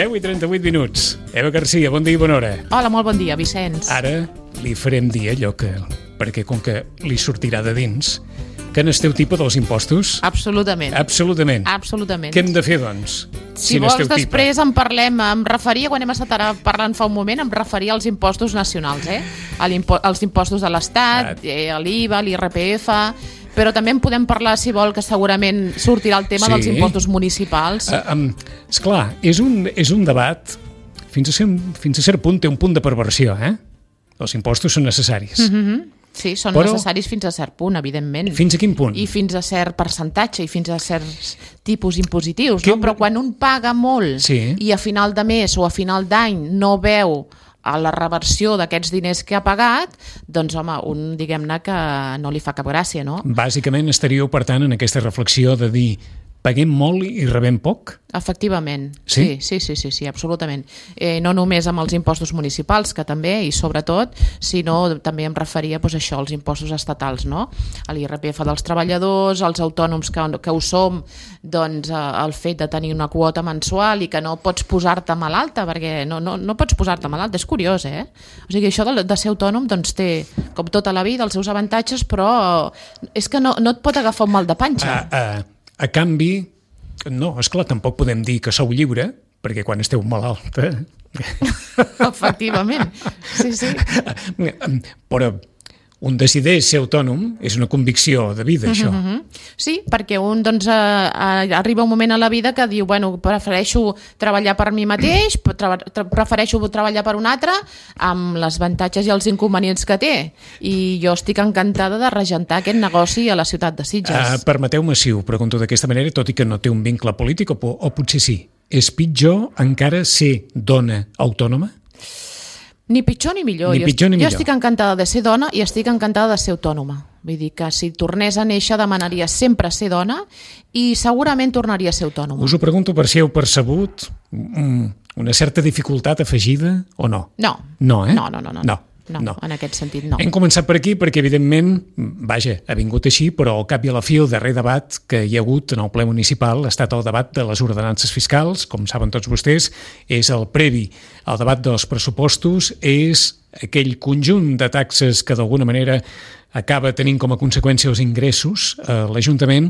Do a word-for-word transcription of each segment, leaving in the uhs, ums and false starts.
deu i trenta-vuit minuts. Eva Garcia, bon dia i bona hora. Hola, molt bon dia, Vicenç. Ara li farem dir allò que... perquè com que li sortirà de dins, que n'esteu tipa dels impostos? Absolutament. Absolutament. Absolutament. Què hem de fer, doncs? Si, si vols, després en parlem, em referia, quan hem estat ara parlant fa un moment, em referia als impostos nacionals, eh? als impostos de l'Estat, eh, l'I V A, l'I R P F... Però també en podem parlar, si vol, que segurament sortirà el tema sí. dels impostos municipals. Uh, um, esclar, és un, és un debat, fins a, cert, fins a cert punt té un punt de perversió, eh? Els impostos són necessaris. Mm-hmm. Sí, són Però, necessaris fins a cert punt, evidentment. Fins a quin punt? I fins a cert percentatge, i fins a certs tipus impositius, no? Però quan un paga molt sí. i a final de mes o a final d'any no veu a la reversió d'aquests diners que ha pagat, doncs, home, un, diguem-ne, que no li fa cap gràcia, no? Bàsicament estaríeu, per tant, en aquesta reflexió de dir paguem molt i rebem poc? Efectivament, sí, sí, sí, sí, sí absolutament. Eh, no només amb els impostos municipals, que també, i sobretot, sinó també em referia doncs, a això, als impostos estatals, no? A l'I R P F dels treballadors, als autònoms que, que ho som, doncs el fet de tenir una quota mensual i que no pots posar-te malalta, perquè no, no, no pots posar-te malalta, és curiós, eh? O sigui, això de, de ser autònom doncs, té, com tota la vida, els seus avantatges, però és que no, no et pot agafar un mal de panxa. Uh, uh. A canvi, no, esclar, tampoc podem dir que sou lliure, perquè quan esteu malalta... Efectivament, sí, sí. Però un decideix ser autònom és una convicció de vida, això. Uh-huh. Sí, perquè un doncs, eh, arriba un moment a la vida que diu, bueno, prefereixo treballar per mi mateix, tra tra prefereixo treballar per un altre, amb les avantatges i els inconvenients que té. I jo estic encantada de regentar aquest negoci a la ciutat de Sitges. Uh, Permeteu-me si ho pregunto d'aquesta manera, tot i que no té un vincle polític, o, o potser sí. És pitjor encara ser dona autònoma? Ni pitjor ni millor. Ni pitjor ni jo, millor. jo estic encantada de ser dona i estic encantada de ser autònoma. Vull dir que si tornés a néixer demanaria sempre ser dona i segurament tornaria a ser autònoma. Us ho pregunto per si heu percebut una certa dificultat afegida o no? No. No, eh? No, no, no. no. no. No, no, en aquest sentit no. Hem començat per aquí perquè, evidentment, vaja, ha vingut així, però al cap i a la fi el darrer debat que hi ha hagut en el ple municipal ha estat el debat de les ordenances fiscals, com saben tots vostès, és el previ al debat dels pressupostos, és aquell conjunt de taxes que d'alguna manera acaba tenint com a conseqüència els ingressos. L'Ajuntament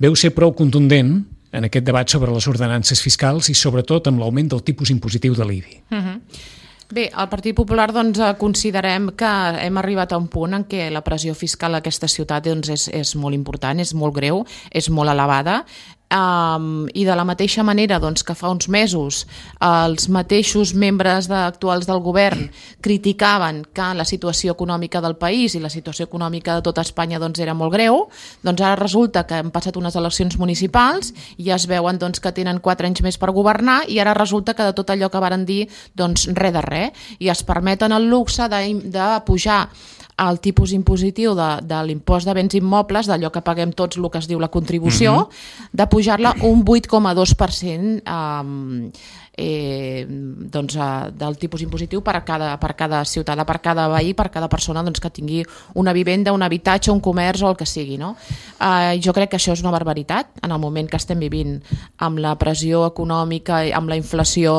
veu ser prou contundent en aquest debat sobre les ordenances fiscals i sobretot amb l'augment del tipus impositiu de l'I B I. Uh-huh. Bé, al Partit Popular doncs, considerem que hem arribat a un punt en què la pressió fiscal a aquesta ciutat doncs, és, és molt important, és molt greu, és molt elevada. Um, i de la mateixa manera doncs, que fa uns mesos els mateixos membres de, actuals del govern criticaven que la situació econòmica del país i la situació econòmica de tota Espanya doncs, era molt greu, doncs ara resulta que han passat unes eleccions municipals i ja es veuen doncs, que tenen quatre anys més per governar i ara resulta que de tot allò que varen dir doncs res de res i es permeten el luxe de, de pujar el tipus impositiu de, de l'impost de béns immobles, d'allò que paguem tots el que es diu la contribució, mm-hmm. de pujar-la un vuit coma dos per cent eh, eh, doncs, eh, del tipus impositiu per a cada, per cada ciutadà, per cada veí, per cada persona doncs, que tingui una vivenda, un habitatge, un comerç o el que sigui. No? Eh, jo crec que això és una barbaritat en el moment que estem vivint amb la pressió econòmica, amb la inflació,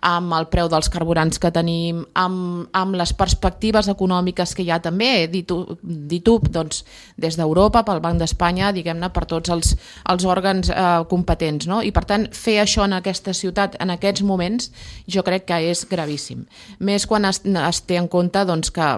amb el preu dels carburants que tenim, amb, amb les perspectives econòmiques que hi ha també, dit, dit doncs, des d'Europa, pel Banc d'Espanya, diguem-ne, per tots els, els òrgans eh, competents. No? I per tant, fer això en aquesta ciutat, en aquests moments, jo crec que és gravíssim. Més quan es, es té en compte doncs, que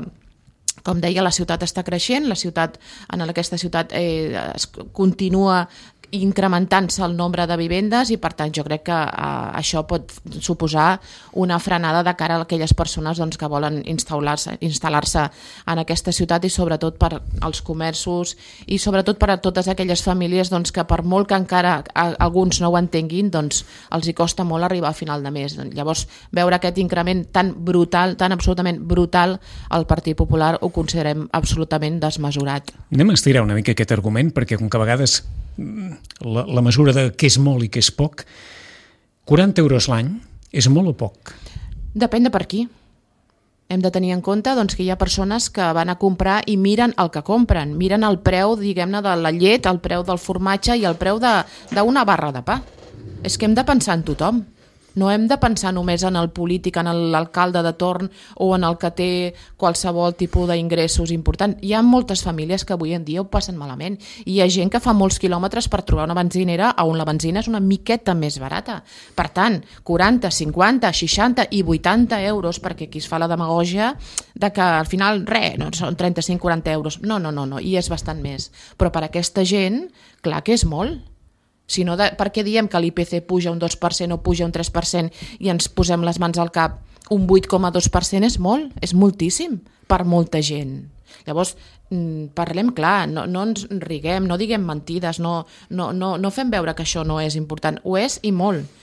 com deia, la ciutat està creixent, la ciutat, en aquesta ciutat eh, es continua incrementant-se el nombre de vivendes i per tant jo crec que eh, això pot suposar una frenada de cara a aquelles persones doncs, que volen instal·lar-se instal·lar-se en aquesta ciutat i sobretot per als comerços i sobretot per a totes aquelles famílies doncs, que per molt que encara a, alguns no ho entenguin doncs els hi costa molt arribar a final de mes. Llavors veure aquest increment tan brutal, tan absolutament brutal al Partit Popular ho considerem absolutament desmesurat. Anem a estirar una mica aquest argument perquè com que a vegades La, la mesura de què és molt i què és poc, quaranta euros l'any és molt o poc? Depèn de per qui. Hem de tenir en compte doncs, que hi ha persones que van a comprar i miren el que compren, miren el preu, diguem-ne, de la llet, el preu del formatge i el preu d'una barra de pa. És que hem de pensar en tothom. No hem de pensar només en el polític, en l'alcalde de torn o en el que té qualsevol tipus d'ingressos important. Hi ha moltes famílies que avui en dia ho passen malament i hi ha gent que fa molts quilòmetres per trobar una benzinera on la benzina és una miqueta més barata. Per tant, quaranta, cinquanta, seixanta i vuitanta euros, perquè aquí es fa la demagògia de que al final, res, no, són trenta-cinc a quaranta euros. No, no, no, no, i és bastant més. Però per aquesta gent, clar que és molt. Si no, de, per què diem que l'I P C puja un dos per cent o puja un tres per cent i ens posem les mans al cap? Un vuit coma dos per cent és molt, és moltíssim per molta gent. Llavors, parlem clar, no, no ens riguem, no diguem mentides, no, no, no, no fem veure que això no és important. Ho és i molt.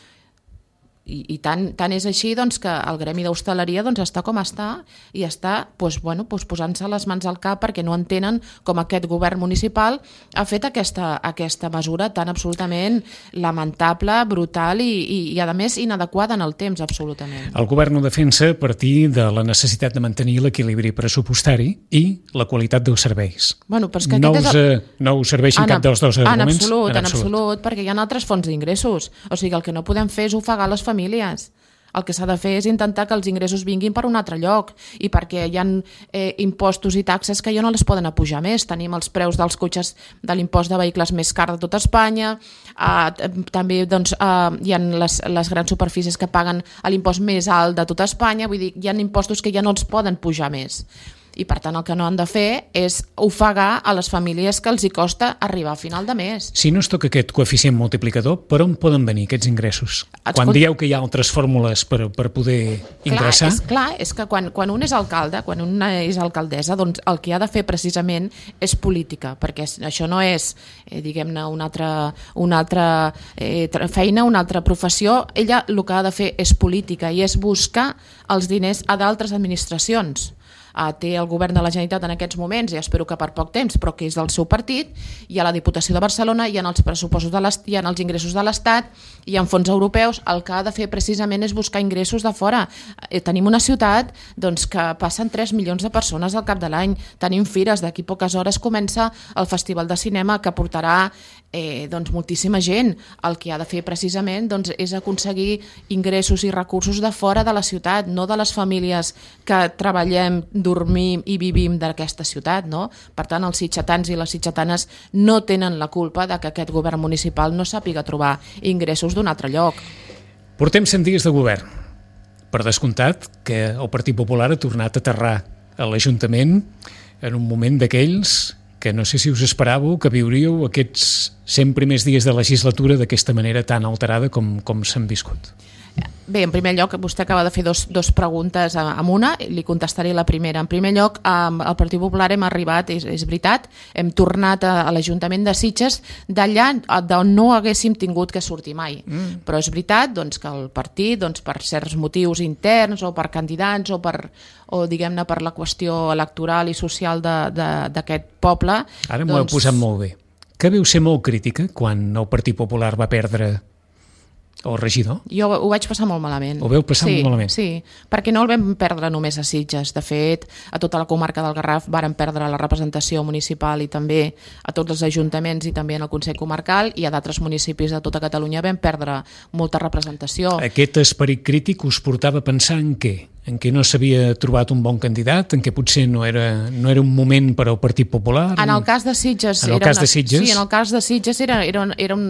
I, i tant, tant és així doncs, que el gremi d'hostaleria doncs, està com està i està doncs, bueno, doncs, posant-se les mans al cap perquè no entenen com aquest govern municipal ha fet aquesta, aquesta mesura tan absolutament lamentable, brutal i, i, i a més inadequada en el temps, absolutament. El govern ho defensa a partir de la necessitat de mantenir l'equilibri pressupostari i la qualitat dels serveis. Bueno, però és que no, us, és, no us serveixen en, cap dels dos arguments? En absolut, en en absolut, absolut, perquè hi ha altres fonts d'ingressos. O sigui, el que no podem fer és ofegar les famílies. El que s'ha de fer és intentar que els ingressos vinguin per un altre lloc i perquè hi ha eh, impostos i taxes que ja no les poden apujar més. Tenim els preus dels cotxes de l'impost de vehicles més car de tot Espanya, eh, també doncs, eh, hi ha les, les grans superfícies que paguen l'impost més alt de tot Espanya, vull dir, hi ha impostos que ja no els poden pujar més. I per tant el que no han de fer és ofegar a les famílies que els hi costa arribar a final de mes. Si no es toca aquest coeficient multiplicador, per on poden venir aquests ingressos? Escolta, quan dieu que hi ha altres fórmules per, per poder ingressar... Clar, és, clar, és que quan, quan un és alcalde, quan una és alcaldessa, doncs el que ha de fer precisament és política, perquè això no és, eh, diguem-ne, una altra, una altra eh, feina, una altra professió. Ella el que ha de fer és política i és buscar els diners a d'altres administracions. Uh, té el govern de la Generalitat en aquests moments, i espero que per poc temps, però que és del seu partit, hi ha la Diputació de Barcelona, hi ha els pressupostos de l'Estat, hi ha els ingressos de l'Estat, hi ha fons europeus. El que ha de fer precisament és buscar ingressos de fora. Eh, tenim una ciutat doncs, que passen tres milions de persones al cap de l'any, tenim fires, d'aquí poques hores comença el Festival de Cinema que portarà eh, doncs, moltíssima gent. El que ha de fer precisament doncs, és aconseguir ingressos i recursos de fora de la ciutat, no de les famílies que treballem, dormim i vivim d'aquesta ciutat, no? Per tant, els sitgetans i les sitgetanes no tenen la culpa de que aquest govern municipal no sàpiga trobar ingressos d'un altre lloc. Portem cent dies de govern. Per descomptat que el Partit Popular ha tornat a aterrar a l'Ajuntament en un moment d'aquells que no sé si us esperàveu que viuríeu aquests cent primers dies de legislatura d'aquesta manera tan alterada com, com s'han viscut. Bé, en primer lloc, vostè acaba de fer dos, dos preguntes amb una, li contestaré la primera. En primer lloc, al Partit Popular hem arribat, és, és veritat, hem tornat a, a l'Ajuntament de Sitges d'allà d'on no haguéssim tingut que sortir mai. Mm. Però és veritat doncs, que el partit, doncs, per certs motius interns o per candidats o, per, o diguem-ne per la qüestió electoral i social d'aquest poble... Ara m'ho doncs... heu posat molt bé. Que veu ser molt crítica quan el Partit Popular va perdre el regidor? Jo ho vaig passar molt malament. Ho veu passar sí, molt malament? Sí, perquè no el vam perdre només a Sitges. De fet, a tota la comarca del Garraf varen perdre la representació municipal i també a tots els ajuntaments i també en el Consell Comarcal, i a d'altres municipis de tota Catalunya vam perdre molta representació. Aquest esperit crític us portava a pensar en què? En què no s'havia trobat un bon candidat, en què potser no era, no era un moment per al Partit Popular? En el cas de Sitges... En el era cas una, de Sitges? Sí, en el cas de Sitges era, era, era un,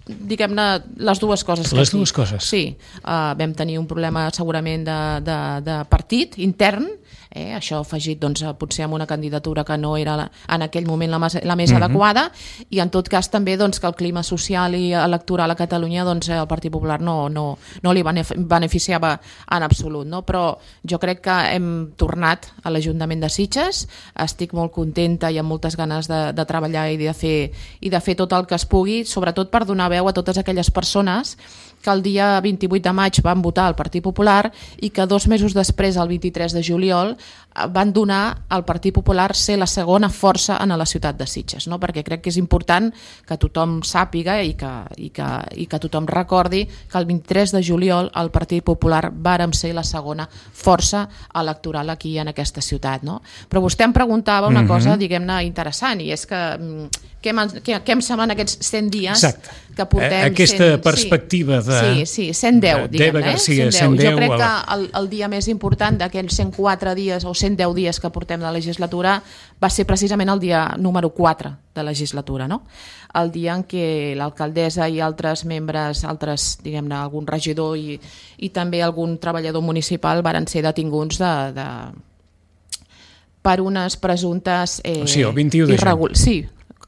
diguem-ne, les dues coses. Les dues coses? Sí, uh, vam tenir un problema segurament de, de, de partit intern, eh? Això afegit doncs, potser amb una candidatura que no era la, en aquell moment la, la més mm-hmm. adequada, i en tot cas també doncs, que el clima social i electoral a Catalunya doncs, el Partit Popular no, no, no li beneficiava en absolut, no? Però jo crec que hem tornat a l'Ajuntament de Sitges, estic molt contenta i amb moltes ganes de, de treballar i de, fer, i de fer tot el que es pugui, sobretot per donar veu a totes aquelles persones que el dia vint-i-vuit de maig van votar al Partit Popular i que dos mesos després, el vint-i-tres de juliol, van donar al Partit Popular ser la segona força en la ciutat de Sitges, no? Perquè crec que és important que tothom sàpiga i que, i que, i que tothom recordi que el vint-i-tres de juliol el Partit Popular vàrem ser la segona força electoral aquí en aquesta ciutat, no? Però vostè em preguntava una cosa, mm-hmm. diguem-ne, interessant, i és que què, què, què em semblen aquests cent dies Exacte. que portem... Aquesta cent, perspectiva sí, de... Sí, sí, cent deu, diguem-ne. Garcia, eh? cent deu. cent deu. Jo crec que el, el dia més important d'aquells cent quatre dies o cent deu dies que portem de legislatura va ser precisament el dia número quatre de legislatura, no? El dia en què l'alcaldessa i altres membres, altres, diguem-ne, algun regidor i, i també algun treballador municipal varen ser detinguts de, de, per unes presumptes... Eh, o sigui, el vint-i-u de juny. Sí,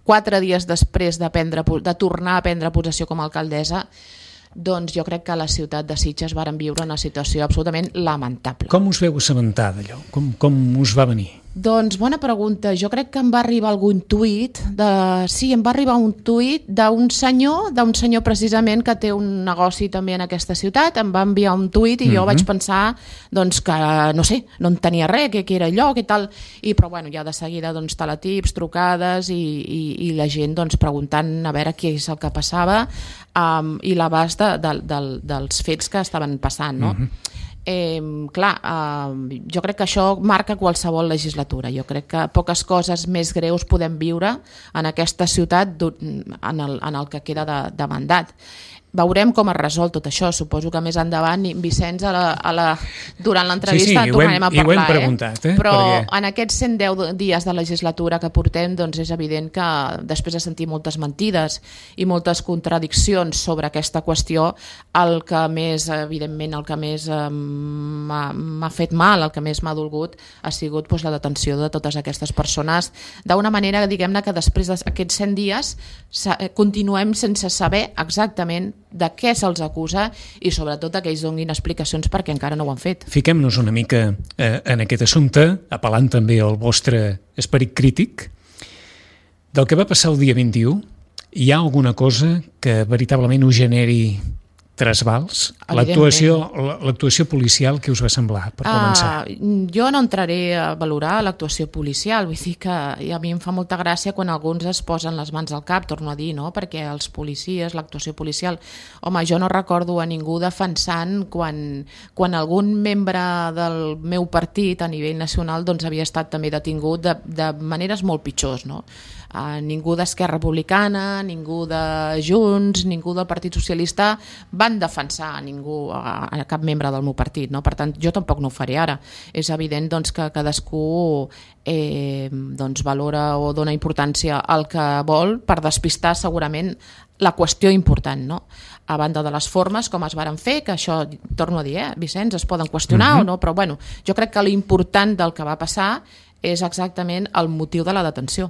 quatre dies després de, prendre, de tornar a prendre possessió com a alcaldessa, doncs jo crec que a la ciutat de Sitges varen viure una situació absolutament lamentable. Com us veu assabentar d'allò? Com, com us va venir? Doncs bona pregunta. Jo crec que em va arribar algun tuit, de... sí, em va arribar un tuit d'un senyor, d'un senyor precisament que té un negoci també en aquesta ciutat, em va enviar un tuit i jo mm-hmm. vaig pensar doncs, que, no sé, no en tenia res, que, que era allò, que tal, i però bueno, ja de seguida doncs, teletips, trucades i, i, i la gent doncs, preguntant a veure què és el que passava um, i l'abast de, de, de, dels fets que estaven passant, no? Mm-hmm. Eh, clar, eh, jo crec que això marca qualsevol legislatura. Jo crec que poques coses més greus podem viure en aquesta ciutat en el, en el que queda de, de mandat. Veurem com es resol tot això. Suposo que més endavant, Vicenç, a la, a la, durant l'entrevista sí, sí, tornarem a parlar. I ho hem preguntat, eh? Però Perquè... en aquests cent deu dies de legislatura que portem, doncs és evident que després de sentir moltes mentides i moltes contradiccions sobre aquesta qüestió, el que més, evidentment, el que més eh, m'ha fet mal, el que més m'ha dolgut, ha sigut doncs, la detenció de totes aquestes persones d'una manera, diguem-ne, que després d'aquests cent dies continuem sense saber exactament de què se'ls acusa i sobretot que ells donin explicacions perquè encara no ho han fet. Fiquem-nos una mica eh, en aquest assumpte, apel·lant també al vostre esperit crític. Del que va passar el dia vint-i-u, hi ha alguna cosa que veritablement us generi trasbals? L'actuació l'actuació policial, què us va semblar, per començar? Uh, jo no entraré a valorar l'actuació policial, vull dir que a mi em fa molta gràcia quan alguns es posen les mans al cap, torno a dir, no? Perquè els policies, l'actuació policial... Home, jo no recordo a ningú defensant quan, quan algun membre del meu partit a nivell nacional doncs, havia estat també detingut de, de maneres molt pitjors, no? Uh, ningú d'Esquerra Republicana, ningú de Junts, ningú del Partit Socialista van defensar a ningú, a, a cap membre del meu partit, no? Per tant, jo tampoc no ho faré ara. És evident doncs, que cadascú eh, doncs, valora o dona importància al que vol per despistar segurament la qüestió important, no? A banda de les formes, com es varen fer, que això, torno a dir, eh, Vicenç, es poden qüestionar uh-huh. o no, però bueno, jo crec que l'important del que va passar és exactament el motiu de la detenció.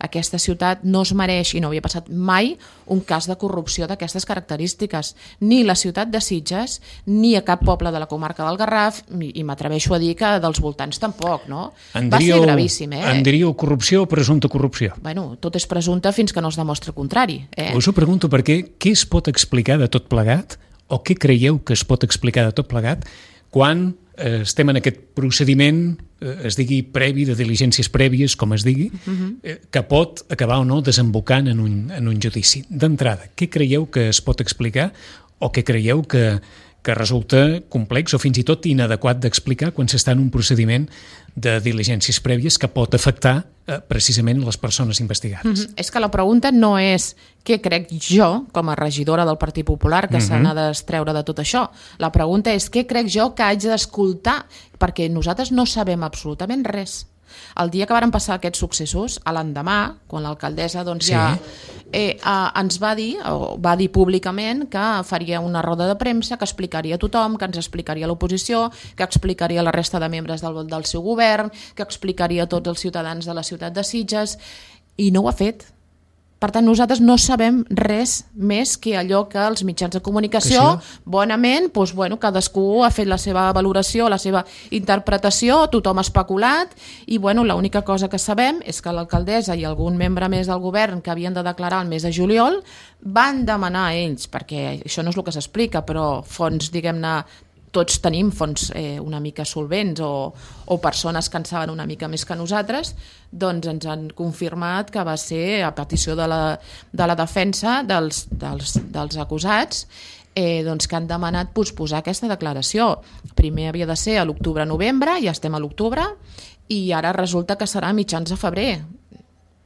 Aquesta ciutat no es mereix, i no havia passat mai, un cas de corrupció d'aquestes característiques. Ni la ciutat de Sitges, ni a cap poble de la comarca del Garraf, i m'atreveixo a dir que dels voltants tampoc, no? En Va diríeu, ser gravíssim, eh? En diríeu corrupció o presumpta corrupció? Bueno, tot és presumpte fins que no es demostra el contrari. Eh? Us ho pregunto perquè què es pot explicar de tot plegat, o què creieu que es pot explicar de tot plegat, quan eh, estem en aquest procediment, eh, es digui previ, de diligències prèvies, com es digui, uh-huh. eh, que pot acabar o no desembocant en un, en un judici. D'entrada, què creieu que es pot explicar o què creieu que, que resulta complex o fins i tot inadequat d'explicar quan s'està en un procediment de diligències prèvies que pot afectar eh, precisament les persones investigades? Mm-hmm. És que la pregunta no és què crec jo, com a regidora del Partit Popular, que mm-hmm. se n'ha d'estreure de tot això. La pregunta és què crec jo que haig d'escoltar, perquè nosaltres no sabem absolutament res. El dia que varen passar aquests successos, a l'endemà, quan l'alcaldessa doncs, sí. ja eh, eh, ens va dir, o va dir públicament, que faria una roda de premsa, que explicaria a tothom, que ens explicaria a l'oposició, que explicaria a la resta de membres del, del seu govern, que explicaria a tots els ciutadans de la ciutat de Sitges, i no ho ha fet. Per tant, nosaltres no sabem res més que allò que els mitjans de comunicació, sí. bonament, doncs, bueno, cadascú ha fet la seva valoració, la seva interpretació, tothom ha especulat, i bueno, l'única cosa que sabem és que l'alcaldessa i algun membre més del govern que havien de declarar el mes de juliol van demanar a ells, perquè això no és el que s'explica, però fonts, diguem-ne, tots tenim fons eh, una mica solvents o, o persones que en saben una mica més que nosaltres, doncs ens han confirmat que va ser a petició de la, de la defensa dels, dels, dels acusats, eh, doncs que han demanat posposar aquesta declaració. Primer havia de ser a l'octubre-novembre, ja estem a l'octubre, i ara resulta que serà a mitjans de febrer.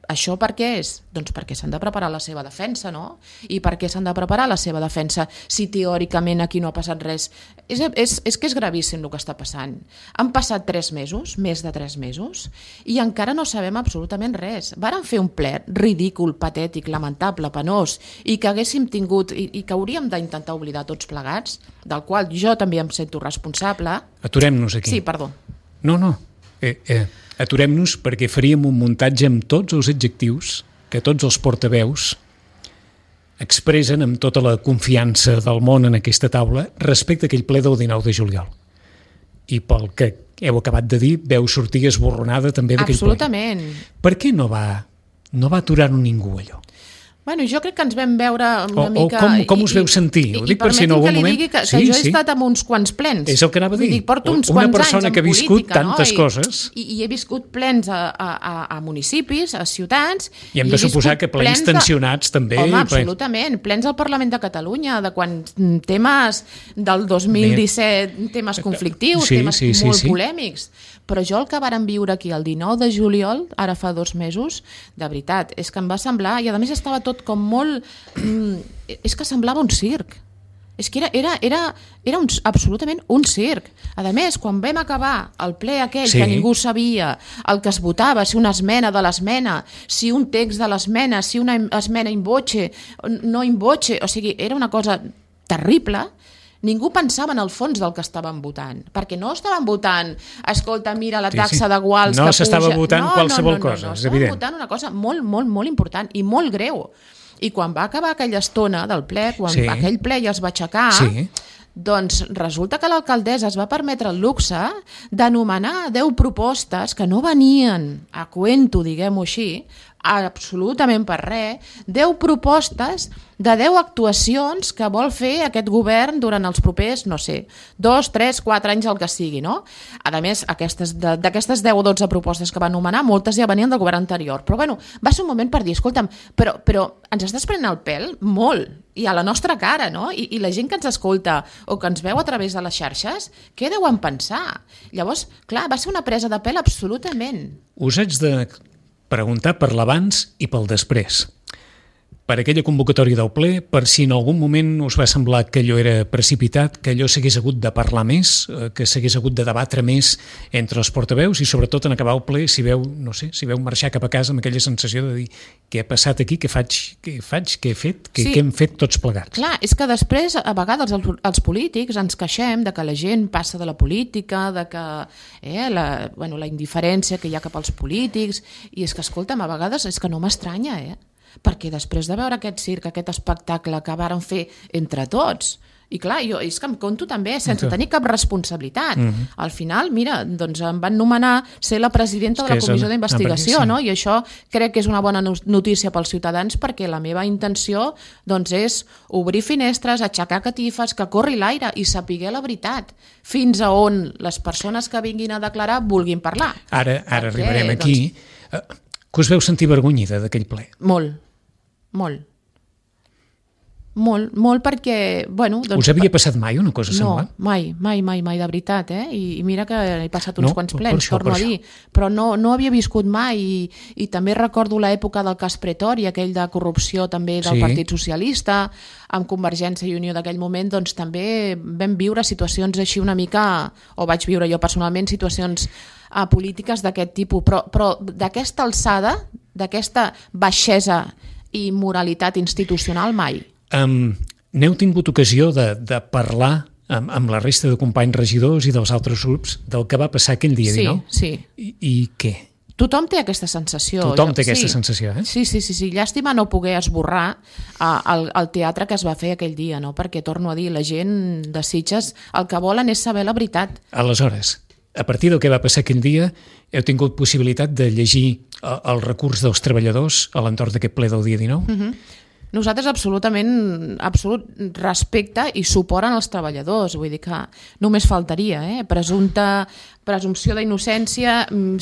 Això per què és? Doncs perquè s'han de preparar la seva defensa, no? I per què s'han de preparar la seva defensa si teòricament aquí no ha passat res? És, és, és que és gravíssim el que està passant. Han passat tres mesos, més de tres mesos, i encara no sabem absolutament res. Varen fer un ple ridícul, patètic, lamentable, penós, i que haguéssim tingut, i, i que hauríem d'intentar oblidar tots plegats, del qual jo també em sento responsable. Aturem-nos aquí. Sí, perdó. No, no. Eh, eh. Aturem-nos perquè faríem un muntatge amb tots els adjectius que tots els portaveus expressen amb tota la confiança del món en aquesta taula respecte a aquell ple del dinou de juliol. I pel que heu acabat de dir, veu sortir esborronada també d'aquell ple. Absolutament. Per què no va, no va aturar-ho ningú, allò? Bueno, jo crec que ens vam veure una o, mica... O com, com us i, veu sentir? I, Ho i dic per si en algun moment... digui que, que sí, jo he sí. estat amb uns quants plens. És el que anava a dir. Dir, porto uns una quants persona anys que ha viscut política, tantes no? I, coses... I, I he viscut plens a, a, a municipis, a ciutats... I hem de suposar que plens tensionats de... també... Home, absolutament. Plens al Parlament de Catalunya, de quan temes del dos mil disset, temes conflictius, sí, temes sí, sí, molt sí. polèmics. Però jo el que vàrem viure aquí el dinou de juliol, ara fa dos mesos, de veritat, és que em va semblar... I a més estava tot com molt... Mm, és que semblava un circ. És que era, era, era, era un, absolutament un circ. A més, quan vam acabar el ple aquell sí. que ningú sabia el que es votava, si una esmena de l'esmena, si un text de l'esmena, si una esmena in voce, no in voce, o sigui, era una cosa terrible. Ningú pensava en el fons del que estaven votant, perquè no estaven votant, escolta, mira la taxa sí, sí. de guals no que puja... No s'estava votant no, qualsevol no, no, no, cosa, no, és estaven evident. votant una cosa molt, molt, molt important i molt greu. I quan va acabar aquella estona del ple, quan sí. aquell ple ja es va aixecar, sí. doncs resulta que l'alcaldessa es va permetre el luxe d'anomenar deu propostes que no venien a cuento, diguem-ho així, absolutament per res, deu propostes de deu actuacions que vol fer aquest govern durant els propers, no sé, dos, tres, quatre anys, el que sigui, no? A més, aquestes, d'aquestes deu o dotze propostes que va anomenar, moltes ja venien del govern anterior. Però bueno, va ser un moment per dir, escolta'm, però, però ens estàs prenent el pèl molt, i a la nostra cara, no? I, I la gent que ens escolta o que ens veu a través de les xarxes, què deuen pensar? Llavors, clar, va ser una presa de pèl absolutament. Us haig de preguntar per l'abans i pel després. Per aquella convocatòria del ple, per si en algun moment us va semblar que allò era precipitat, que allò s'hagués hagut de parlar més, que s'hagués hagut de debatre més entre els portaveus i sobretot en acabar el ple, si veu, no sé, si veu marxar cap a casa amb aquella sensació de dir què ha passat aquí, què faig, què faig, què he fet, què, sí. què hem fet tots plegats. Clar, és que després a vegades els, els polítics ens queixem de que la gent passa de la política, de que eh, la, bueno, la indiferència que hi ha cap als polítics, i és que, escolta'm, a vegades és que no m'estranya, eh? Perquè després de veure aquest circ, aquest espectacle que varen fer entre tots, i clar, jo és que em conto també sense tenir cap responsabilitat. Mm-hmm. Al final, mira, doncs em van nomenar ser la presidenta de la comissió d'investigació, no? I això crec que és una bona notícia pels ciutadans, perquè la meva intenció doncs, és obrir finestres, aixecar catifes, que corri l'aire i sapiguer la veritat, fins a on les persones que vinguin a declarar vulguin parlar. Ara, ara perquè, arribarem aquí. Doncs... Que us veu sentir vergonyida d'aquell ple? Molt, molt. Molt, molt perquè, bueno... Doncs, us havia passat mai una cosa semblant? No, mai, mai, mai, mai, de veritat, eh? I, i mira que he passat uns no, quants plens, això, torno a dir, però no, no havia viscut mai, i, i també recordo l'època del cas Pretori, aquell de corrupció també del sí. Partit Socialista, amb Convergència i Unió d'aquell moment, doncs també vam viure situacions així una mica, o vaig viure jo personalment, situacions a polítiques d'aquest tipus, però, però d'aquesta alçada, d'aquesta baixesa i moralitat institucional, mai. Um, n'heu tingut ocasió de, de parlar amb, amb la resta de companys regidors i dels altres grups del que va passar aquell dia sí, dinou? Sí, I, I què? Tothom té aquesta sensació. Tothom té aquesta sí. sensació, eh? Sí, sí, sí, sí. Llàstima no poder esborrar uh, el, el teatre que es va fer aquell dia, no? Perquè, torno a dir, la gent de Sitges el que volen és saber la veritat. Aleshores, a partir del que va passar aquell dia, heu tingut possibilitat de llegir el, el recurs dels treballadors a l'entorn d'aquest ple del dia dinou? Uh-huh. Nosaltres absolutament absolut respecte i suport als treballadors, vull dir que només faltaria, eh? Presumpta, presumpció d'innocència,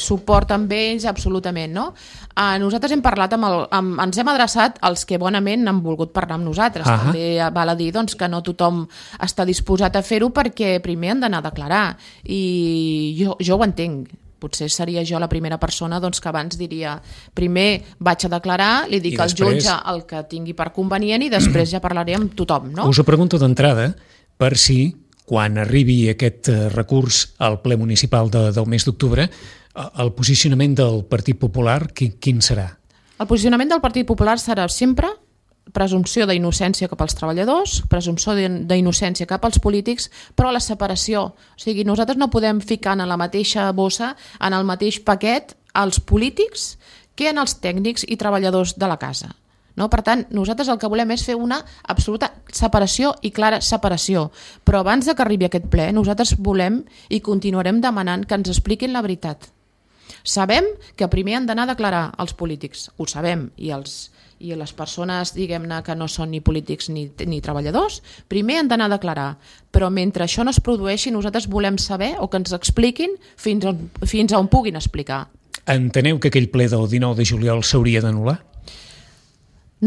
suport amb ells, absolutament, no? Uh, nosaltres hem parlat amb, el, amb ens hem adreçat als que bonament han volgut parlar amb nosaltres. Uh-huh. També val a dir doncs, que no tothom està disposat a fer-ho perquè primer han d'anar a declarar i jo, jo ho entenc. Potser seria jo la primera persona doncs, que abans diria primer vaig a declarar, li dic al després... jutge el que tingui per convenient i després ja parlaré amb tothom. No? Us ho pregunto d'entrada per si quan arribi aquest recurs al ple municipal de, del mes d'octubre el posicionament del Partit Popular quin, quin serà? El posicionament del Partit Popular serà sempre presumpció d'innocència cap als treballadors, presumpció d'innocència cap als polítics, però la separació. O sigui, nosaltres no podem ficar en la mateixa bossa, en el mateix paquet, els polítics que en els tècnics i treballadors de la casa. No? Per tant, nosaltres el que volem és fer una absoluta separació i clara separació. Però abans de que arribi aquest ple, nosaltres volem i continuarem demanant que ens expliquin la veritat. Sabem que primer han d'anar a declarar els polítics, ho sabem, i els i les persones, diguem-ne, que no són ni polítics ni, ni treballadors, primer han d'anar a declarar. Però mentre això no es produeixi, nosaltres volem saber o que ens expliquin fins on, fins a on puguin explicar. Enteneu que aquell ple del dinou de juliol s'hauria d'anul·lar?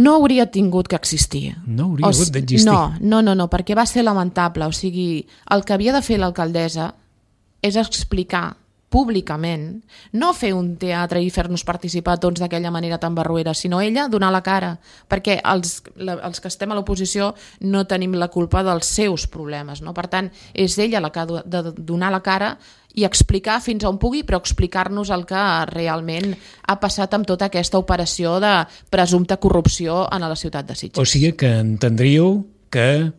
No hauria tingut que existir. No hauria hagut d'existir? No, no, no, no, perquè va ser lamentable. O sigui, el que havia de fer l'alcaldessa és explicar públicament, no fer un teatre i fer-nos participar tots d'aquella manera tan barruera, sinó ella donar la cara, perquè els, la, els que estem a l'oposició no tenim la culpa dels seus problemes, no? Per tant, és ella la que ha de donar la cara i explicar fins on pugui, però explicar-nos el que realment ha passat amb tota aquesta operació de presumpta corrupció a la ciutat de Sitges. O sigui que entendríeu que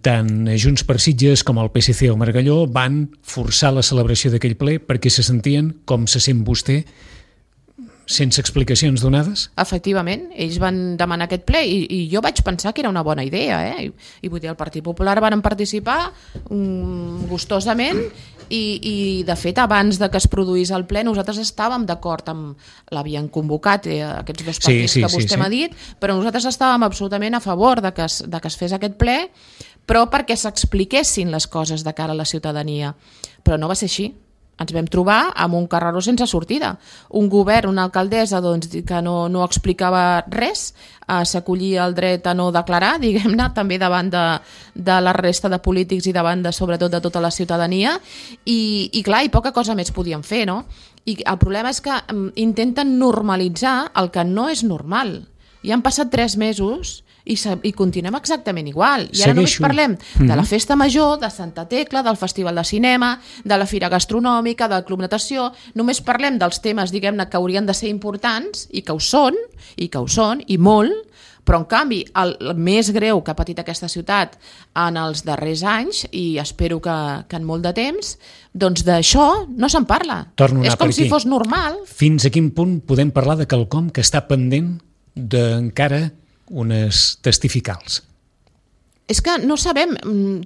tant Junts per Sitges com el P S C o Margalló van forçar la celebració d'aquell ple perquè se sentien com se sent vostè, sense explicacions donades? Efectivament, ells van demanar aquest ple i, i jo vaig pensar que era una bona idea, eh? I, i vull dir, el Partit Popular van participar um, gustosament i, i de fet abans de que es produís el ple nosaltres estàvem d'acord amb l'havien convocat eh, aquests dos partits sí, sí, que vostè sí, m'ha sí. dit, però nosaltres estàvem absolutament a favor de que es, de que es fes aquest ple, però perquè s'expliquessin les coses de cara a la ciutadania, però no va ser així. Ens vam trobar amb un carreró sense sortida. Un govern, una alcaldessa doncs, que no, no explicava res, eh, s'acollia el dret a no declarar, diguem-ne, també davant de, de la resta de polítics i davant de, sobretot de tota la ciutadania, i, i clar, i poca cosa més podien fer, no? I el problema és que um, intenten normalitzar el que no és normal. I han passat tres mesos i, i continuem exactament igual. I ara Segueixo. només parlem de la festa major, de Santa Tecla, del Festival de Cinema, de la Fira Gastronòmica, del Club Natació, només parlem dels temes, diguem-ne, que haurien de ser importants i que ho són, i que ho són, i molt, però en canvi el, el més greu que ha patit aquesta ciutat en els darrers anys, i espero que, que en molt de temps, doncs d'això no se'n parla. Torno a És com si fos normal. Fins a quin punt podem parlar de quelcom que està pendent d'encara unes testificals? És que no sabem,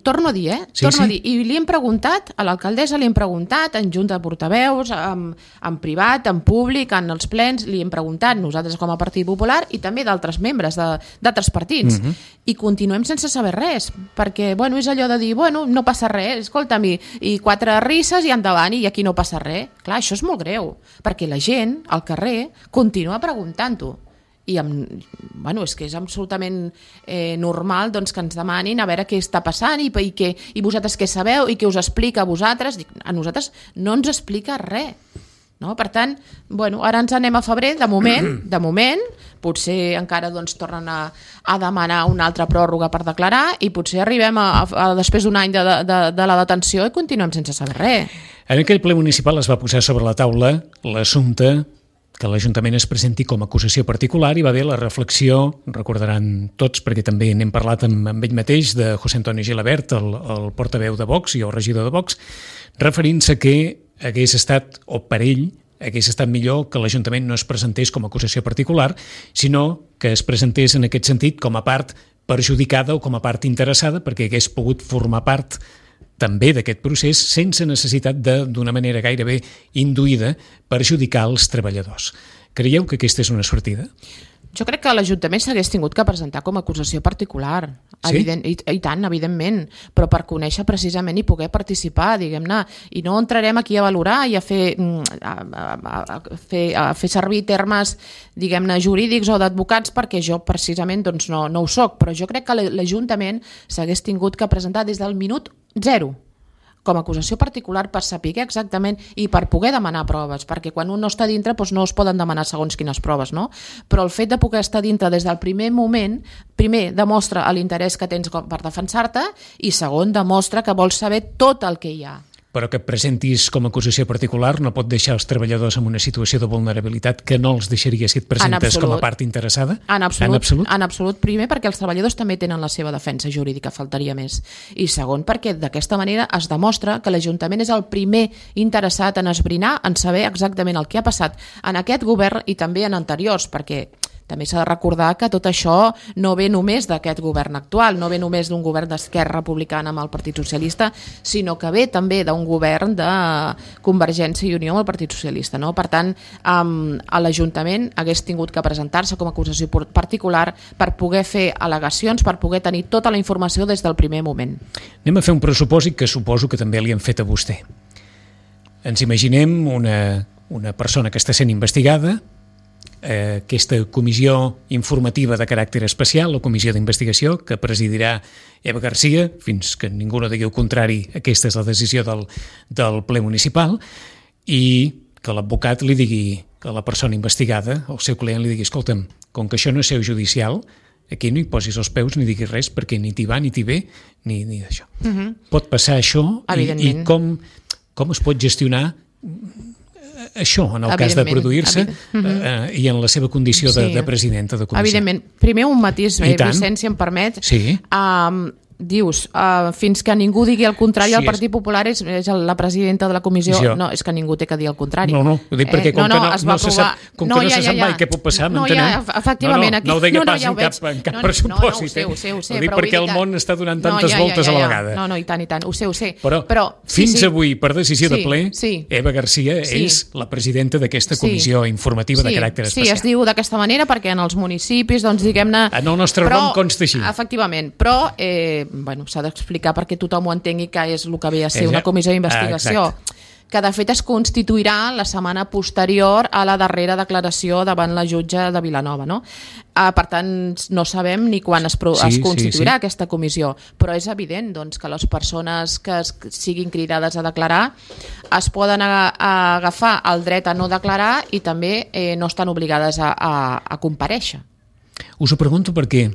torno a dir, eh? Sí, torno sí? a dir, i li hem preguntat, a l'alcaldessa li hem preguntat, en junta de portaveus, en, en privat, en públic, en els plens, li hem preguntat, nosaltres com a Partit Popular, i també d'altres membres d'altres partits, uh-huh. i continuem sense saber res, perquè, bueno, és allò de dir, bueno, no passa res, escolta'm, i, i quatre risses i endavant, i aquí no passa res. Clar, això és molt greu, perquè la gent, al carrer, continua preguntant-ho. I amb, bueno, és que és absolutament eh, normal doncs, que ens demanin a veure què està passant i, i, que, i vosaltres què sabeu i què us explica a vosaltres. A nosaltres no ens explica res. No? Per tant, bueno, ara ens anem a febrer, de moment, de moment, potser encara doncs, tornen a, a demanar una altra pròrroga per declarar i potser arribem a, a, a després d'un any de, de, de la detenció i continuem sense saber res. En aquell ple municipal es va posar sobre la taula l'assumpte que l'Ajuntament es presenti com a acusació particular i va haver la reflexió, recordaran tots perquè també n'hem parlat amb, amb ell mateix, de José Antonio Gilabert, el, el portaveu de Vox i el regidor de Vox, referint-se que hagués estat, o per ell, hagués estat millor que l'Ajuntament no es presentés com a acusació particular, sinó que es presentés en aquest sentit com a part perjudicada o com a part interessada perquè hagués pogut formar part també d'aquest procés sense necessitat de, d'una manera gairebé induïda, perjudicar els treballadors. Creieu que aquesta és una sortida? Jo crec que l'Ajuntament s'hagués tingut que presentar com a acusació particular, sí? Evident, i, i tant, evidentment, però per conèixer precisament i poder participar, diguem-ne, i no entrarem aquí a valorar i a fer, a, a, a, fer, a fer servir termes, diguem-ne, jurídics o d'advocats, perquè jo precisament doncs, no, no ho soc, però jo crec que l'Ajuntament s'hagués tingut que presentar des del minut zero, com a acusació particular per saber exactament i per poder demanar proves, perquè quan un no està dintre doncs no es poden demanar segons quines proves, no? Però el fet de poder estar dintre des del primer moment, primer, demostra l'interès que tens per defensar-te i segon, demostra que vols saber tot el que hi ha. Però que et presentis com a acusació particular no pot deixar els treballadors en una situació de vulnerabilitat que no els deixaria si et presentes com a part interessada? En absolut, en absolut. En absolut. Primer, perquè els treballadors també tenen la seva defensa jurídica, faltaria més. I segon, perquè d'aquesta manera es demostra que l'Ajuntament és el primer interessat en esbrinar, en saber exactament el que ha passat en aquest govern i també en anteriors, perquè també s'ha de recordar que tot això no ve només d'aquest govern actual, no ve només d'un govern d'Esquerra Republicana amb el Partit Socialista, sinó que ve també d'un govern de Convergència i Unió amb el Partit Socialista. No? Per tant, um, a l'Ajuntament hagués tingut que presentar-se com a acusació particular per poder fer al·legacions, per poder tenir tota la informació des del primer moment. Anem a fer un pressupòsit que suposo que també li han fet a vostè. Ens imaginem una, una persona que està sent investigada, aquesta comissió informativa de caràcter especial, la comissió d'investigació que presidirà Eva Garcia, fins que ningú no digui el contrari, aquesta és la decisió del, del ple municipal, i que l'advocat li digui a la persona investigada, al seu client li digui, escolta'm, com que això no és seu judicial, aquí no hi posis els peus ni diguis res, perquè ni t'hi va ni t'hi ve, ni, ni d'això. Uh-huh. Pot passar això i, i com, com es pot gestionar això, en el cas de produir-se eh, i en la seva condició de, sí. de presidenta de comissió. Evidentment. Primer un matís, eh, Vicent, si em permet. Sí. Um, dius, uh, fins que ningú digui el contrari, sí, el Partit Popular és, és la presidenta de la comissió. Sí, no, és que ningú té que dir el contrari. No, no, ho dic perquè eh, com no, no, que no, no se sap, com no, que no ja, se sap ja, ja. mai què pot passar, no, m'entenem? Ja, efectivament, no, no, no ho deia no, no, pas ja en cap, en cap no, pressuposi. No, no, ho sé, ho sé, ho sé, ho dic perquè el món està donant tantes no, ja, voltes ja, ja, a la ja. vegada. No, no, i tant, i tant, ho sé, ho sé. Però, Però fins sí, sí. avui, per decisió sí, de ple, sí. Eva Garcia sí. és la presidenta d'aquesta comissió sí. informativa sí. de caràcter especial. Sí, es diu d'aquesta manera perquè en els municipis, doncs, diguem-ne... En el nostre nom consta així. Efectivament, però eh, bueno, s'ha d'explicar perquè tothom ho entengui que és el que ve a ser una comissió d'investigació, ah, que de fet es constituirà la setmana posterior a la darrera declaració davant la jutge de Vilanova. No? Uh, per tant, no sabem ni quan es, pro- sí, es constituirà sí, sí. aquesta comissió, però és evident doncs, que les persones que es, siguin cridades a declarar es poden a, a agafar el dret a no declarar i també eh, no estan obligades a, a, a comparèixer. Us ho pregunto perquè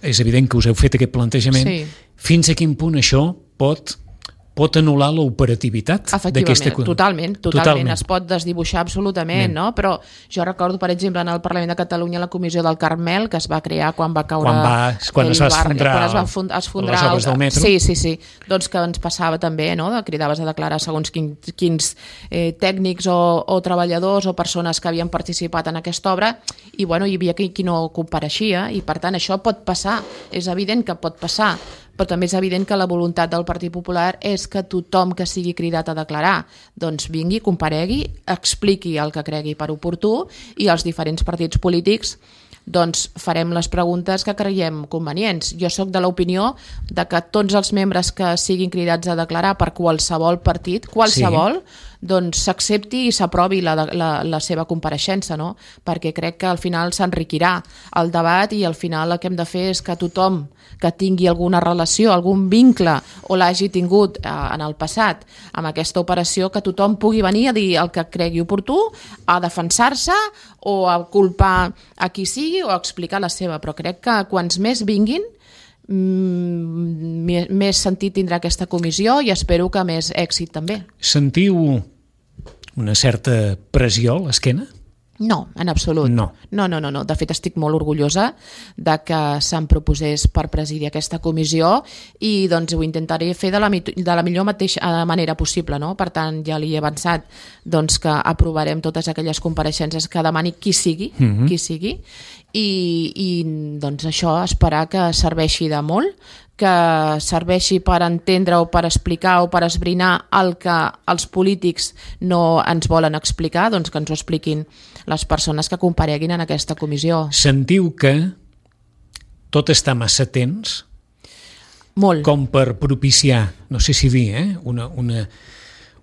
és evident que us heu fet aquest plantejament. Sí. Fins a quin punt això pot, pot anul·lar l'operativitat d'aquesta... Efectivament, totalment, totalment, totalment. Es pot desdibuixar absolutament, no? Però jo recordo, per exemple, en el Parlament de Catalunya la comissió del Carmel, que es va crear quan va caure... Quan, va, quan es va esfondrar, quan es va fund, esfondrar les obres del metro. Sí, sí, sí. Doncs que ens passava també, no? Cridaves a declarar segons quins, quins eh, tècnics o, o treballadors o persones que havien participat en aquesta obra i, bueno, hi havia qui, qui no compareixia i, per tant, això pot passar. És evident que pot passar, però també és evident que la voluntat del Partit Popular és que tothom que sigui cridat a declarar doncs vingui, comparegui, expliqui el que cregui per oportú i els diferents partits polítics doncs farem les preguntes que creiem convenients. Jo sóc de l'opinió de que tots els membres que siguin cridats a declarar per qualsevol partit, qualsevol, sí. doncs s'accepti i s'aprovi la, la, la seva compareixença, no? Perquè crec que al final s'enriquirà el debat i al final el que hem de fer és que tothom que tingui alguna relació, algun vincle o l'hagi tingut eh, en el passat amb aquesta operació, que tothom pugui venir a dir el que cregui oportú, a defensar-se o a culpar a qui sigui o a explicar la seva, però crec que quants més vinguin mm, més sentit tindrà aquesta comissió i espero que més èxit també. Sentiu una certa pressió a l'esquena? No, en absolut. No. No, no, no, no. De fet, estic molt orgullosa de que se'm proposés per presidir aquesta comissió i doncs ho intentaré fer de la, de la millor mateixa manera possible, no? Per tant, ja li he avançat doncs, que aprovarem totes aquelles compareixences que demani qui sigui, mm-hmm. qui sigui, i, i doncs això esperar que serveixi de molt, que serveixi per entendre o per explicar o per esbrinar el que els polítics no ens volen explicar, doncs que ens ho expliquin les persones que compareguin en aquesta comissió. Sentiu que tot està massa tens? Molt. Com per propiciar, no sé si dir, eh? una, una,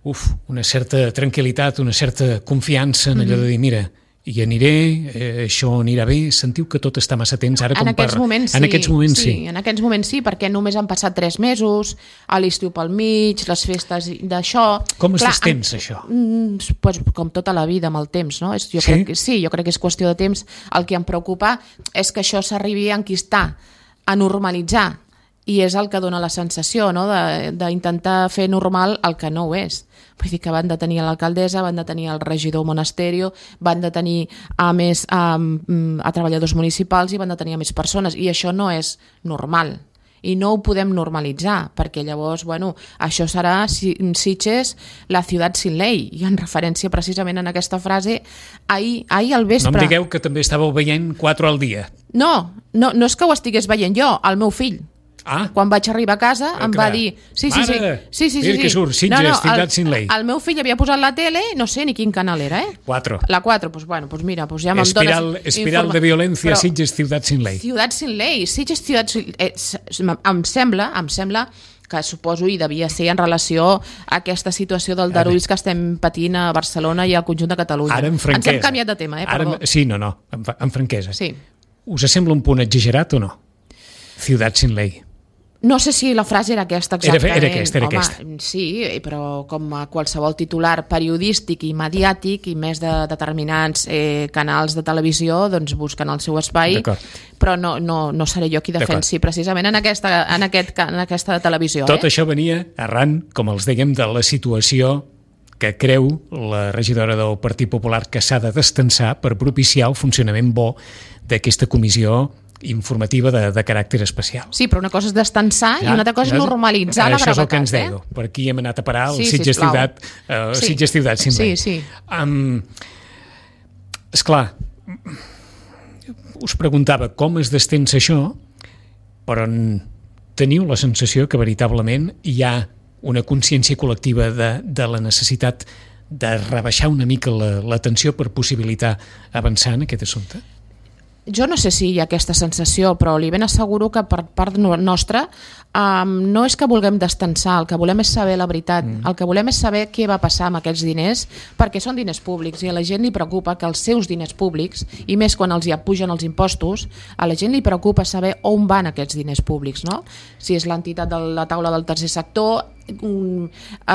uf, una certa tranquil·litat, una certa confiança en allò de dir, mira, hi aniré, eh, això anirà bé. Sentiu que tot està massa temps ara com en aquests per... moments sí, en aquests moments sí. sí. En aquests moments sí, perquè només han passat tres mesos, a l'estiu pel mig, les festes d'això... Com es Clar, destens, en, això? Pues, com tota la vida, amb el temps, no? Jo sí? Crec que, sí, jo crec que és qüestió de temps. El que em preocupa és que això s'arribi a enquistar, a normalitzar, i és el que dona la sensació, no? D'intentar fer normal el que no ho és. Vull dir que van detenir l'alcaldessa, van detenir el regidor Monasterio, van detenir a més a, a treballadors municipals i van detenir a més persones, i això no és normal i no ho podem normalitzar, perquè llavors, bueno, això serà Sitges la ciutat sin ley, i en referència precisament en aquesta frase ahir, ahir al vespre. No em digueu que també estàveu veient quatre al dia. No, no, no és que ho estigués veient jo, el meu fill. Ah. Quan vaig arribar a casa ah, em va dir... Sí, sí, sí. Mare, sí, sí, sí, mira sí. que surt, Sitges, no, no, ciutat sin ley. El meu fill havia posat la tele, no sé ni quin canal era, eh? Quatre. La quatre, doncs bueno, pues mira, pues ja me'n espiral, dones... Espiral informa... de violència, però, Sitges, ciutat sin ley. Ciutat sin ley, Sitges, ciutat sin ley. Eh, em sembla, em sembla que suposo i devia ser en relació a aquesta situació del darulls que estem patint a Barcelona i al conjunt de Catalunya. Ara en franquesa. Ens hem canviat de tema, eh? Perdó. Ara, sí, no, no, en, en franquesa. Sí. Us sembla un punt exagerat o no? Ciutat sin ley. No sé si la frase era aquesta exactament. Era, era aquesta, era Home, aquesta. Sí, però com a qualsevol titular periodístic i mediàtic i més de determinants eh, canals de televisió, doncs busquen el seu espai, però no, no, no seré jo qui defensi precisament en aquesta, en aquest, en aquesta televisió. Tot eh? això venia arran, com els dèiem, de la situació que creu la regidora del Partit Popular que s'ha de destensar per propiciar el funcionament bo d'aquesta comissió informativa de, de caràcter especial. Sí, però una cosa és destensar ja, i una altra cosa és normalitzar la gravetat. Això és el que ens eh? deia. Per aquí hem anat a parar el sí, Sitges ciutat, uh, sí. Sitges ciutat sin ley. Sí, sí. Um, esclar, us preguntava com es destensa això, però teniu la sensació que veritablement hi ha una consciència col·lectiva de, de la necessitat de rebaixar una mica la, la tensió per possibilitar avançar en aquest assumpte? Jo no sé si hi ha aquesta sensació, però li ben asseguro que per part nostra um, no és que vulguem destensar, el que volem és saber la veritat, mm. el que volem és saber què va passar amb aquests diners, perquè són diners públics i a la gent li preocupa que els seus diners públics, i més quan els hi pugen els impostos, a la gent li preocupa saber on van aquests diners públics, no? Si és l'entitat de la taula del tercer sector, un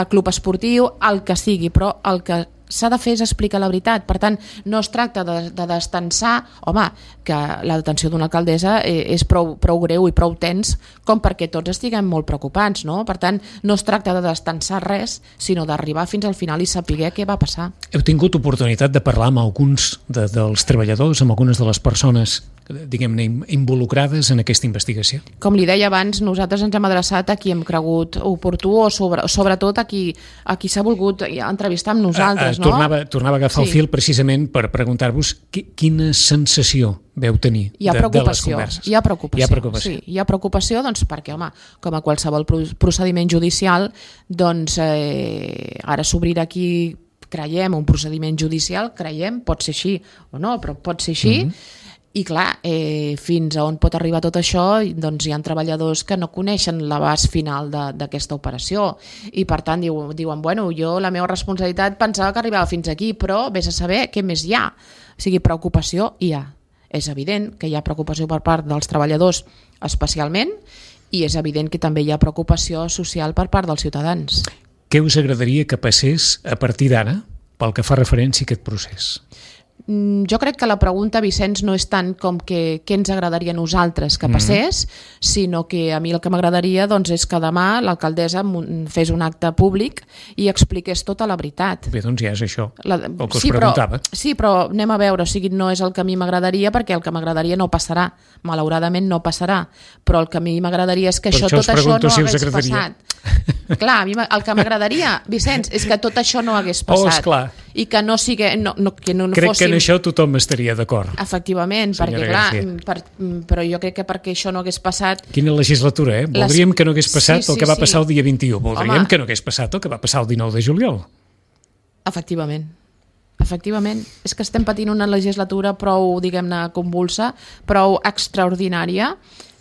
club esportiu, el que sigui, però el que s'ha de fer és explicar la veritat. Per tant, no es tracta de, de destensar, home, que la detenció d'una alcaldessa és prou, prou greu i prou tens com perquè tots estiguem molt preocupats, no? Per tant, no es tracta de destensar res, sinó d'arribar fins al final i saber què va passar. Heu tingut oportunitat de parlar amb alguns de, dels treballadors, amb algunes de les persones diguem-ne involucrades en aquesta investigació? Com li deia abans, nosaltres ens hem adreçat a qui hem cregut oportú o sobre, sobretot a qui, a qui s'ha volgut entrevistar amb nosaltres, a, a, no? Tornava, tornava a agafar sí. el fil precisament per preguntar-vos qui, quina sensació veu tenir hi ha de, de les hi converses. ha preocupació. Hi ha preocupació. Sí, hi ha preocupació doncs, perquè, home, com a qualsevol procediment judicial, doncs eh, ara s'obrirà aquí creiem un procediment judicial, creiem, pot ser així o no, però pot ser així, mm-hmm. I clar, eh, fins a on pot arribar tot això, doncs hi ha treballadors que no coneixen l'abast final d'aquesta operació i per tant diu, diuen, bueno, jo la meva responsabilitat pensava que arribava fins aquí, però vés a saber què més hi ha. O sigui, preocupació hi ha. És evident que hi ha preocupació per part dels treballadors especialment i és evident que també hi ha preocupació social per part dels ciutadans. Què us agradaria que passés a partir d'ara pel que fa referència a aquest procés? Jo crec que la pregunta, Vicenç, no és tant com que què ens agradaria a nosaltres que passés, mm-hmm. sinó que a mi el que m'agradaria doncs, és que demà l'alcaldessa fes un acte públic i expliqués tota la veritat. Bé, doncs ja és això, la... el que us sí, preguntava. Però, sí, però anem a veure, o sigui, no és el que a mi m'agradaria perquè el que m'agradaria no passarà, malauradament no passarà, però el que a mi m'agradaria és que per això, això tot això no si hagués passat. Clar, a mi el que m'agradaria, Vicenç, és que tot això no hagués passat oh, i que no, no, no, que no crec fóssim en això tothom estaria d'acord. Efectivament, perquè clar, per, però jo crec que perquè això no hagués passat... Quina legislatura, eh? Voldríem Les... que no hagués passat sí, sí, el que va passar sí. el dia vint-i-u. Voldríem Home. que no hagués passat el que va passar el dinou de juliol. Efectivament. Efectivament. És que estem patint una legislatura prou, diguem-ne, convulsa, prou extraordinària,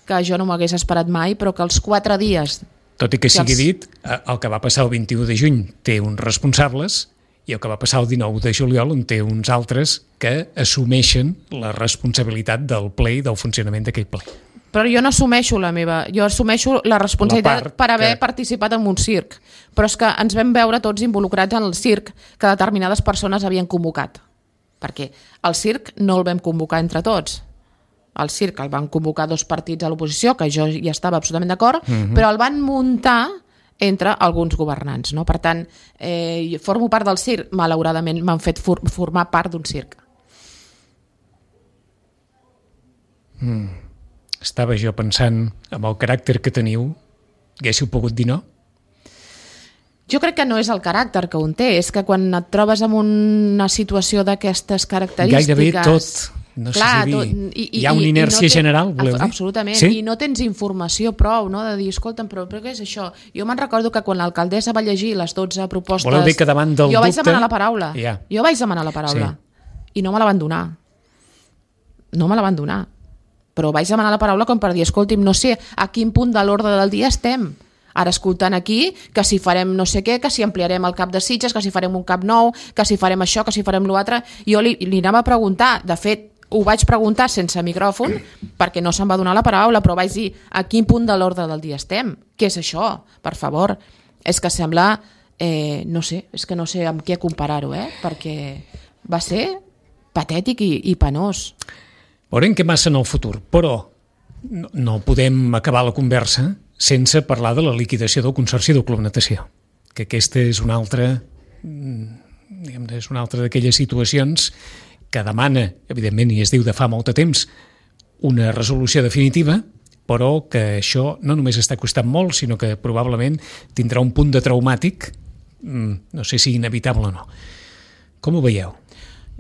que jo no m'hagués esperat mai, però que els quatre dies... Tot i que sigui els... dit, el que va passar el vint-i-u de juny té uns responsables i el que va passar el dinou de juliol en té uns altres que assumeixen la responsabilitat del ple i del funcionament d'aquell ple. Però jo no assumeixo la meva, jo assumeixo la responsabilitat la per haver que... participat en un circ. Però és que ens vam veure tots involucrats en el circ que determinades persones havien convocat. Perquè el circ no el vam convocar entre tots. El circ el van convocar dos partits a l'oposició, que jo ja estava absolutament d'acord, uh-huh. però el van muntar entre alguns governants. No? Per tant, eh, formo part del circ, malauradament m'han fet for- formar part d'un circ. Mm. Estava jo pensant, amb el caràcter que teniu, haguéssiu pogut dir no? Jo crec que no és el caràcter que un té, és que quan et trobes en una situació d'aquestes característiques... Gairebé tot... No clar, sé si dir, tot, i, i, hi ha una inèrcia i no té, general, voleu dir? Absolutament, sí? I no tens informació prou, no?, de dir, escolta'm, però, però què és això? Jo me'n recordo que quan l'alcaldessa va llegir les dotze propostes... Voleu dir que davant del jo dubte... vaig demanar la paraula, yeah. jo vaig demanar la paraula, sí. I no me la van donar. No me la van donar. Però vaig demanar la paraula com per dir, escolti'm, no sé a quin punt de l'ordre del dia estem. Ara escoltant aquí que si farem no sé què, que si ampliarem el cap de Sitges, que si farem un cap nou, que si farem això, que si farem l'altre... Jo li, li anava a preguntar, de fet, ho vaig preguntar sense micròfon perquè no se'm va donar la paraula, però vaig dir a quin punt de l'ordre del dia estem? Què és això? Per favor. És que sembla, eh, no sé, és que no sé amb què comparar-ho, eh? Perquè va ser patètic i, i penós. Veurem què passa en el futur, però no, no podem acabar la conversa sense parlar de la liquidació del Consorci del Club Natació, que aquesta és una altra, diguem, és una altra d'aquelles situacions que demana, evidentment, i es diu de fa molt de temps, una resolució definitiva, però que això no només està costant molt, sinó que probablement tindrà un punt de traumàtic, no sé si inevitable o no. Com ho veieu?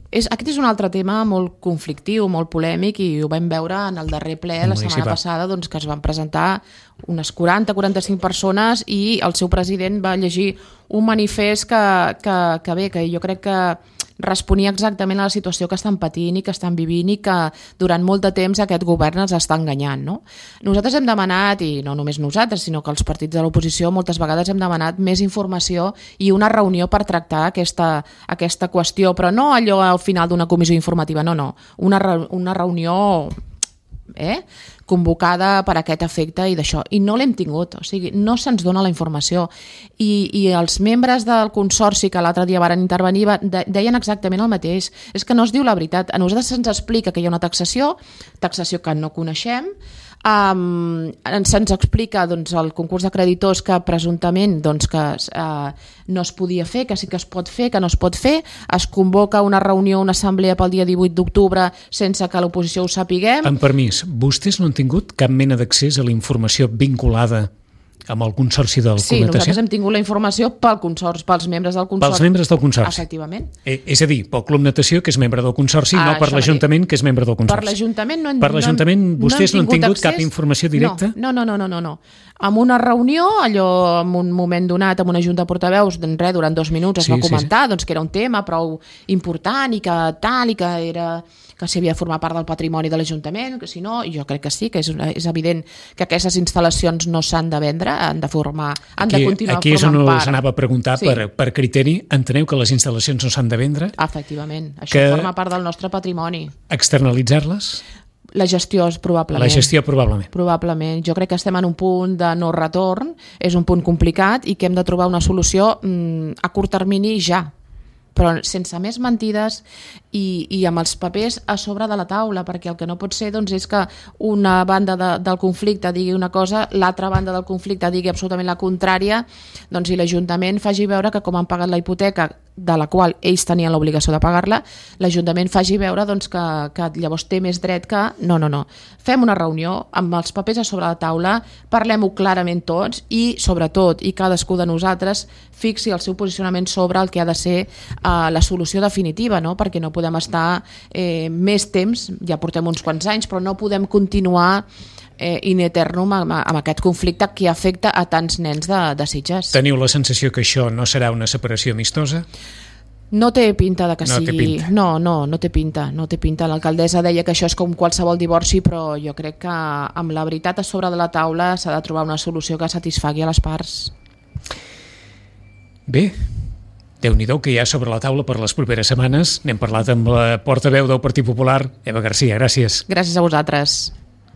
És, aquest és un altre tema molt conflictiu, molt polèmic, i ho vam veure en el darrer ple la setmana passada, doncs, que es van presentar unes quaranta a quaranta-cinc persones i el seu president va llegir un manifest que, que, que bé, que jo crec que responia exactament a la situació que estan patint i que estan vivint i que durant molt de temps aquest govern els està enganyant. No? Nosaltres hem demanat, i no només nosaltres, sinó que els partits de l'oposició moltes vegades hem demanat més informació i una reunió per tractar aquesta, aquesta qüestió, però no allò al final d'una comissió informativa, no, no, una, una reunió eh, convocada per aquest efecte i d'això, i no l'hem tingut, o sigui, no se'ns dona la informació, i, i els membres del Consorci que l'altre dia varen intervenir de, deien exactament el mateix, és que no es diu la veritat, a nosaltres se'ns explica que hi ha una taxació, taxació que no coneixem, Um, se'ns explica doncs, el concurs de creditors que presumptament doncs, que uh, no es podia fer, que sí que es pot fer, que no es pot fer, es convoca una reunió, una assemblea pel dia divuit d'octubre sense que l'oposició ho sapiguem. Amb permís, vostès no han tingut cap mena d'accés a la informació vinculada amb el Consorci del sí, Club Natació? Sí, nosaltres hem tingut la informació pel consorci, pels membres del Consorci. Pels membres del Consorci? Efectivament. Eh, és a dir, pel Club Natació, que és membre del Consorci, ah, no per l'Ajuntament, que és membre del Consorci. Per l'Ajuntament no, per l'Ajuntament no, vostès no han tingut, no han tingut accés? Cap informació directa? No, no, no, no, no, no. En una reunió, allò, en un moment donat, amb una junta de portaveus, doncs res, durant dos minuts es sí, va comentar sí, sí. Doncs, que era un tema prou important i que tal, i que era... que si havia de formar part del patrimoni de l'Ajuntament, que si no, jo crec que sí, que és, és evident que aquestes instal·lacions no s'han de vendre, han de formar, han aquí, de continuar aquí formant part. Aquí és on us anava a preguntar, sí. per, per criteri, enteneu que les instal·lacions no s'han de vendre? Efectivament, això que forma part del nostre patrimoni. Externalitzar-les? La gestió és probablement. La gestió probablement. Probablement. Jo crec que estem en un punt de no retorn, és un punt complicat i que hem de trobar una solució mm, a curt termini ja, però sense més mentides i, i amb els papers a sobre de la taula, perquè el que no pot ser doncs, és que una banda de, del conflicte digui una cosa, l'altra banda del conflicte digui absolutament la contrària, doncs, i l'Ajuntament faci veure que com han pagat la hipoteca de la qual ells tenien l'obligació de pagar-la, l'Ajuntament faci veure doncs, que, que llavors té més dret que... No, no, no. Fem una reunió amb els papers a sobre la taula, parlem-ho clarament tots i, sobretot, i cadascú de nosaltres fixi el seu posicionament sobre el que ha de ser eh, la solució definitiva, no? Perquè no podem estar eh, més temps, ja portem uns quants anys, però no podem continuar eh, in eternum amb, amb aquest conflicte que afecta a tants nens de, de Sitges. Teniu la sensació que això no serà una separació amistosa? No té pinta de que no sigui... No, no, no té pinta. No té pinta. L'alcaldessa deia que això és com qualsevol divorci, però jo crec que amb la veritat a sobre de la taula s'ha de trobar una solució que satisfagui a les parts. Bé, Déu-n'hi-do que hi ha sobre la taula per les properes setmanes. N'hem parlat amb la portaveu del Partit Popular, Eva Garcia. Gràcies. Gràcies a vosaltres.